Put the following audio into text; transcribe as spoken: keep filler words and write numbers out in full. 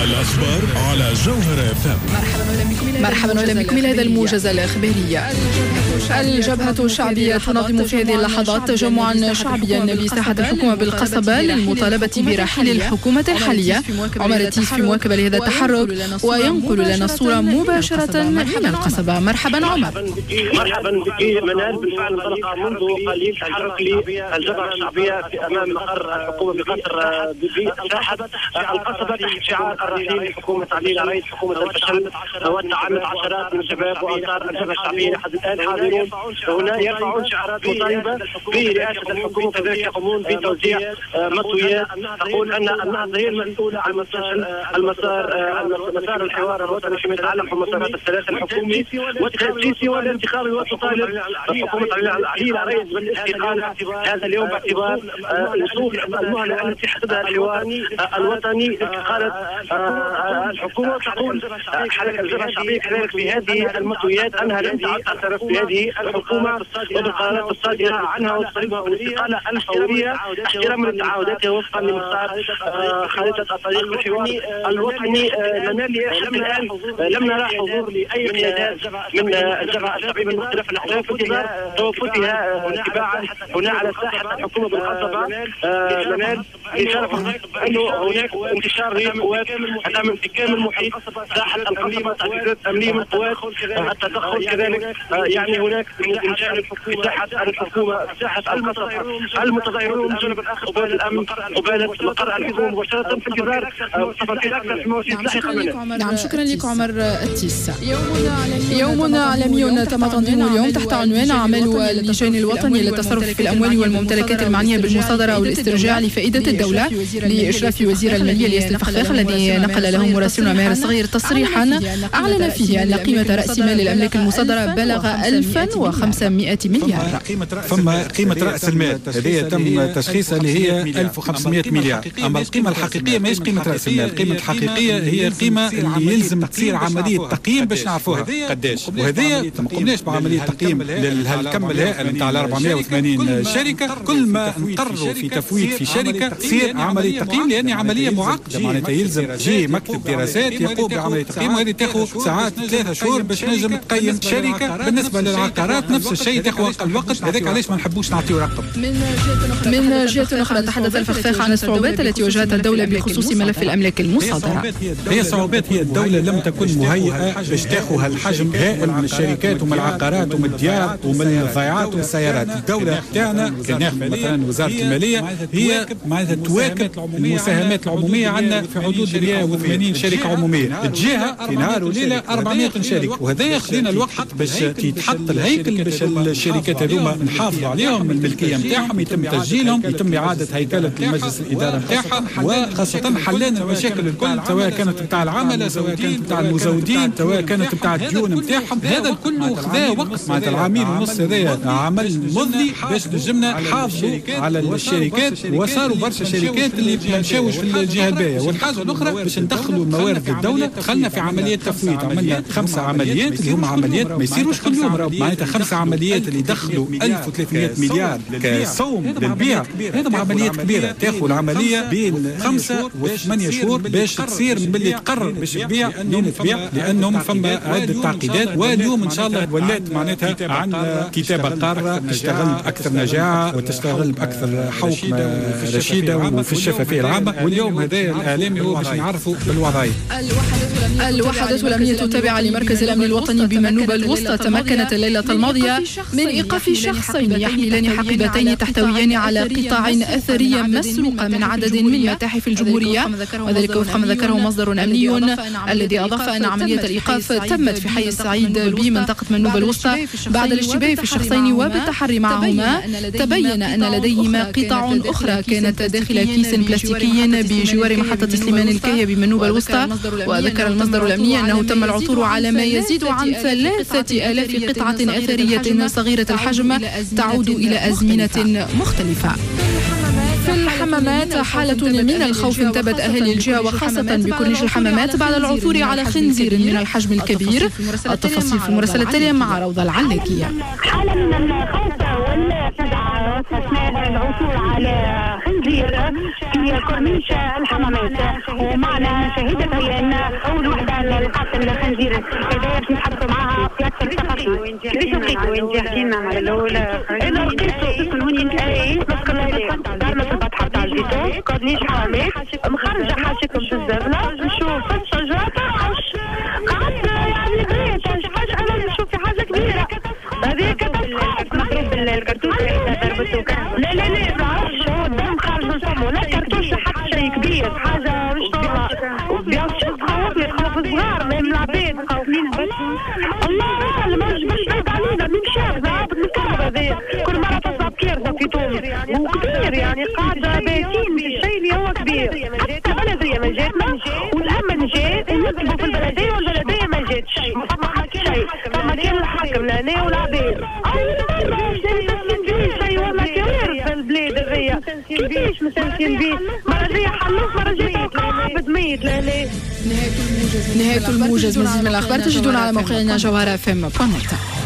الأخبار على جوهرة إف إم. مرحبا وأهلا بكم إلى هذا الموجز الإخباري. الجبهة الشعبية تنظم في هذه اللحظات تجمعا شعبيا بساحة الحكومة بالقصبة للمطالبة برحيل الحكومة الحالية. عمر التيس في مواكبة لهذا التحرك وينقل لنا الصورة مباشرة من القصبة. مرحبا عمر. مرحبا بك منال. بالفعل انطلق منذ قليل تحرك للجبهة الشعبية في أمام مقر الحكومة بقصر بساحة القصبة تحت شعار الرحيل لحكومة علي العريس حكومة الفشل والتعنت. عشرات من الشباب وأنصار الجبهة الشعبية لحد الآن حاضرون هنا يرفعون شعارات مطالبة برئاسة الحكومة، كذلك يقومون بتوزيع مطويات تقول أن النهضة هي المسؤولة عن المسار مسار الحوار الوطني فيما يتعلق بالمسارات الثلاثة الحكومي والتأسيسي والانتخابي، وتطالب حكومة علي العريس بالاستقالة هذا اليوم باعتبار وصول المهلة التي حددها الحوار الوطني لاستقالة الحكومة. تقول حركة الجبهة الشعبية كذلك في هذه المطويات أنها لن تعترف بهذه الحكومة وبالقرارات الصادرة عنها وتطالبها بالاستقالة الفورية احتراما لتعهداتها وفقا لمسار خريطة الطريق الحوار الوطني. منال حتى الآن لم نرى حضور لأي قيادات من الجبهة الشعبية من مختلف الأحزاب في انتظار توافدها تباعا هنا على ساحة الحكومة بالقصبة. منال إشارة أنه هناك انتشار لقوات الأمن في كامل محيط ساحة القصبة، تعزيزات أمنية من قوات التدخل كذلك، يعني هناك من جانب في ساحة الحكومة ساحة القصبة المتظاهرون من الجانب الآخر قبالة الأمن قبالة مقر الحكومة مباشرة في انتظار تفاصيل أكثر في مواعيد لاحقة. نعم شكرا لك عمر التيس. يوم عالمي تم تنظيمه اليوم تحت عنوان أعمال اللجان الوطني للتصرف في الأموال والممتلكات المعنية بالمصادرة والاسترجاع لفائدة الدولة لإشراف وزير المالية الياس الفخفاخ الذي نقل له مراسلنا ماهر الصغير تصريحا أعلن فيه أن قيمة رأس مال الأملاك المصادرة بلغ ألف وخمسمائة مليار. فما قيمة رأس المال هذه تم تشخيصها اللي هي ألف وخمسمائة مليار، أما القيمة الحقيقية ماهيش قيمة رأس المال، القيمة الحقيقية هي قيمة اللي يلزم تصير عملية تقييم باش نعرفوها قداش، وهذه ما قمناش بعملية تقييم للكم الهائل نتاع أربعمائة وثمانين شركة. كل ما نقرروا في تفويت في شركة تصير عملية تقييم لأن عملية معقدة، معناتها يلزم جي مكتب دراسات يقوم بعملية تقييم وهذه تاخذ ساعات ثلاثة شهور باش نجم تقيم شركة. بالنسبة للعقارات نفس الشيء تاخذ أقل وقت، هذاك علاش ما نحبوش نعطيو رقم. من جهة أخرى تحدث الفخفاخ عن الصعوبات التي واجهتها الدولة بخصوص ملف الأملاك المصادرة. هي الصعوبات هي الدولة لم تكن مهيئة باش تاخذ هالحجم هائل من الشركات ومن العقارات ومن الديار ومن الضيعات ومن السيارات. الدولة تاعنا كان ناخذ مثلا وزارة المالية هي معناتها تواكب المساهمات العمومية عندنا في حدود مئة وثمانين شركة عمومية، تجيها في نهار وليلة أربعمائة شركة، وهذا خلينا الوقت باش يتحط الهيكل باش الشركات هذوما نحافظوا عليهم الملكية نتاعهم، يتم تسجيلهم، يتم إعادة هيكلة المجلس الإدارة نتاعها، وخاصة حلان المشاكل الكل سواء كانت نتاع العملة سواء كانت نتاع المزودين سواء كانت نتاع الديون نتاعهم. هذا الكل خذا وقت، معناتها العامين ونص هذايا عمل مضني باش نجمنا نحافظوا على الشركات، وصاروا برشا شركات اللي ما مشاوش في الجهة الباهيه. والحاجة الاخرى باش ندخلوا الموارد للدولة دخلنا في عمليات تفويت، عملنا خمسة عمليات اللي هما عمليات ما يصيروش كل يوم، معناتها خمسة عمليات اللي دخلوا ألف وثلاثمائة مليار كسوم للبيع، هذا عمليات كبيرة تاخذ العملية بين خمسة وثمانية شهور باش تصير من اللي تقرر باش تبيع لين تبيع، لانهم فما عده تعقيدات. واليوم ان شاء الله ولات معناتها عندنا كتابه قارة تشتغل باكثر نجاعه وتشتغل باكثر حوكمة رشيده وفي الشفافية العامة. واليوم هذا الاعلامي هو باش نعرفوا بالوضعيه. الوحدات الأمنية التابعة لمركز الأمن الوطني بمنوبة الوسطى تمكنت الليلة الماضية من إيقاف شخصين يحملان حقيبتين تحتويان على قطع أثرية مسروقة من عدد من متاحف الجمهورية، وذلك وفق ما ذكره مصدر أمني الذي أضاف أن عملية الإيقاف تمت في حي السعيد بمنطقة منوبة الوسطى بعد الاشتباه في الشخصين وبالتحري معهما تبين أن لديهما قطع أخرى كانت داخل كيس بلاستيكي بجوار محطة سليمان الكاهية بمنوبة الوسطى. وذكر المصدر الأمني أنه تم العثور على ما يزيد عن ثلاثة آلاف قطعة أثرية صغيرة الحجم تعود إلى أزمنة مختلفة. في الحمامات حالة من الخوف انتابت أهالي الجهة وخاصة بكورنيش الحمامات بعد العثور على خنزير من الحجم الكبير. التفاصيل في المراسلة التالية مع روضة العلاكية. حالة من الخوف والفزع اثناء العثور على خنزير في كورنيش الحمامات. ومعنا شاهدة عيان اول وحده لقات الخنزير هذا باش نتحدثوا معها في اكثر التفاصيل. كيفاش لقيتوا انت؟ احكي لنا على الاول. انا لقيته تسكن هوني؟ اي نسكن دارنا في البطحه تاع الزيتون كورنيش حمامات، مخرجه حاشيكم في الزبله، نشوف في الشجرة ترعش، قعدت يعني غريت حاجة، انا نشوف في حاجة كبيرة هذه catastrophe. مضروب الكرتوش ضربته؟ لا لا لا ما عرفتش، هو الدم خارج من فمه، لا كرتوش حتى شيء كبير، حاجة مش normal. bien sûr تخوفني، تخوف الصغار même العباد. الله اعلم، مش بعيد علينا، من شاف عبد من الكهرباء هذايا، كل مرة تصعب كارثة في تونس وكبير، يعني قاعد باتين في الشيء اللي هو كبير. حتى البلدية ما جاتنا والامن جات ونطلبوا في البلدية والبلديه ما جاتش، ما فما حتى شيء، فما كان الحاكم لهنا والعباد. اول مرة مستسلم بيه شيء والله كوارث في البلاد هذيا، كيفاش مستسلم بيه؟ مرة جاية حلوف، مرة جاية تلقى عبد ميت لهنا. نهاية الموجز، مزيد من الأخبار تجدون على موقعنا جوهرة اف ام دوت نت.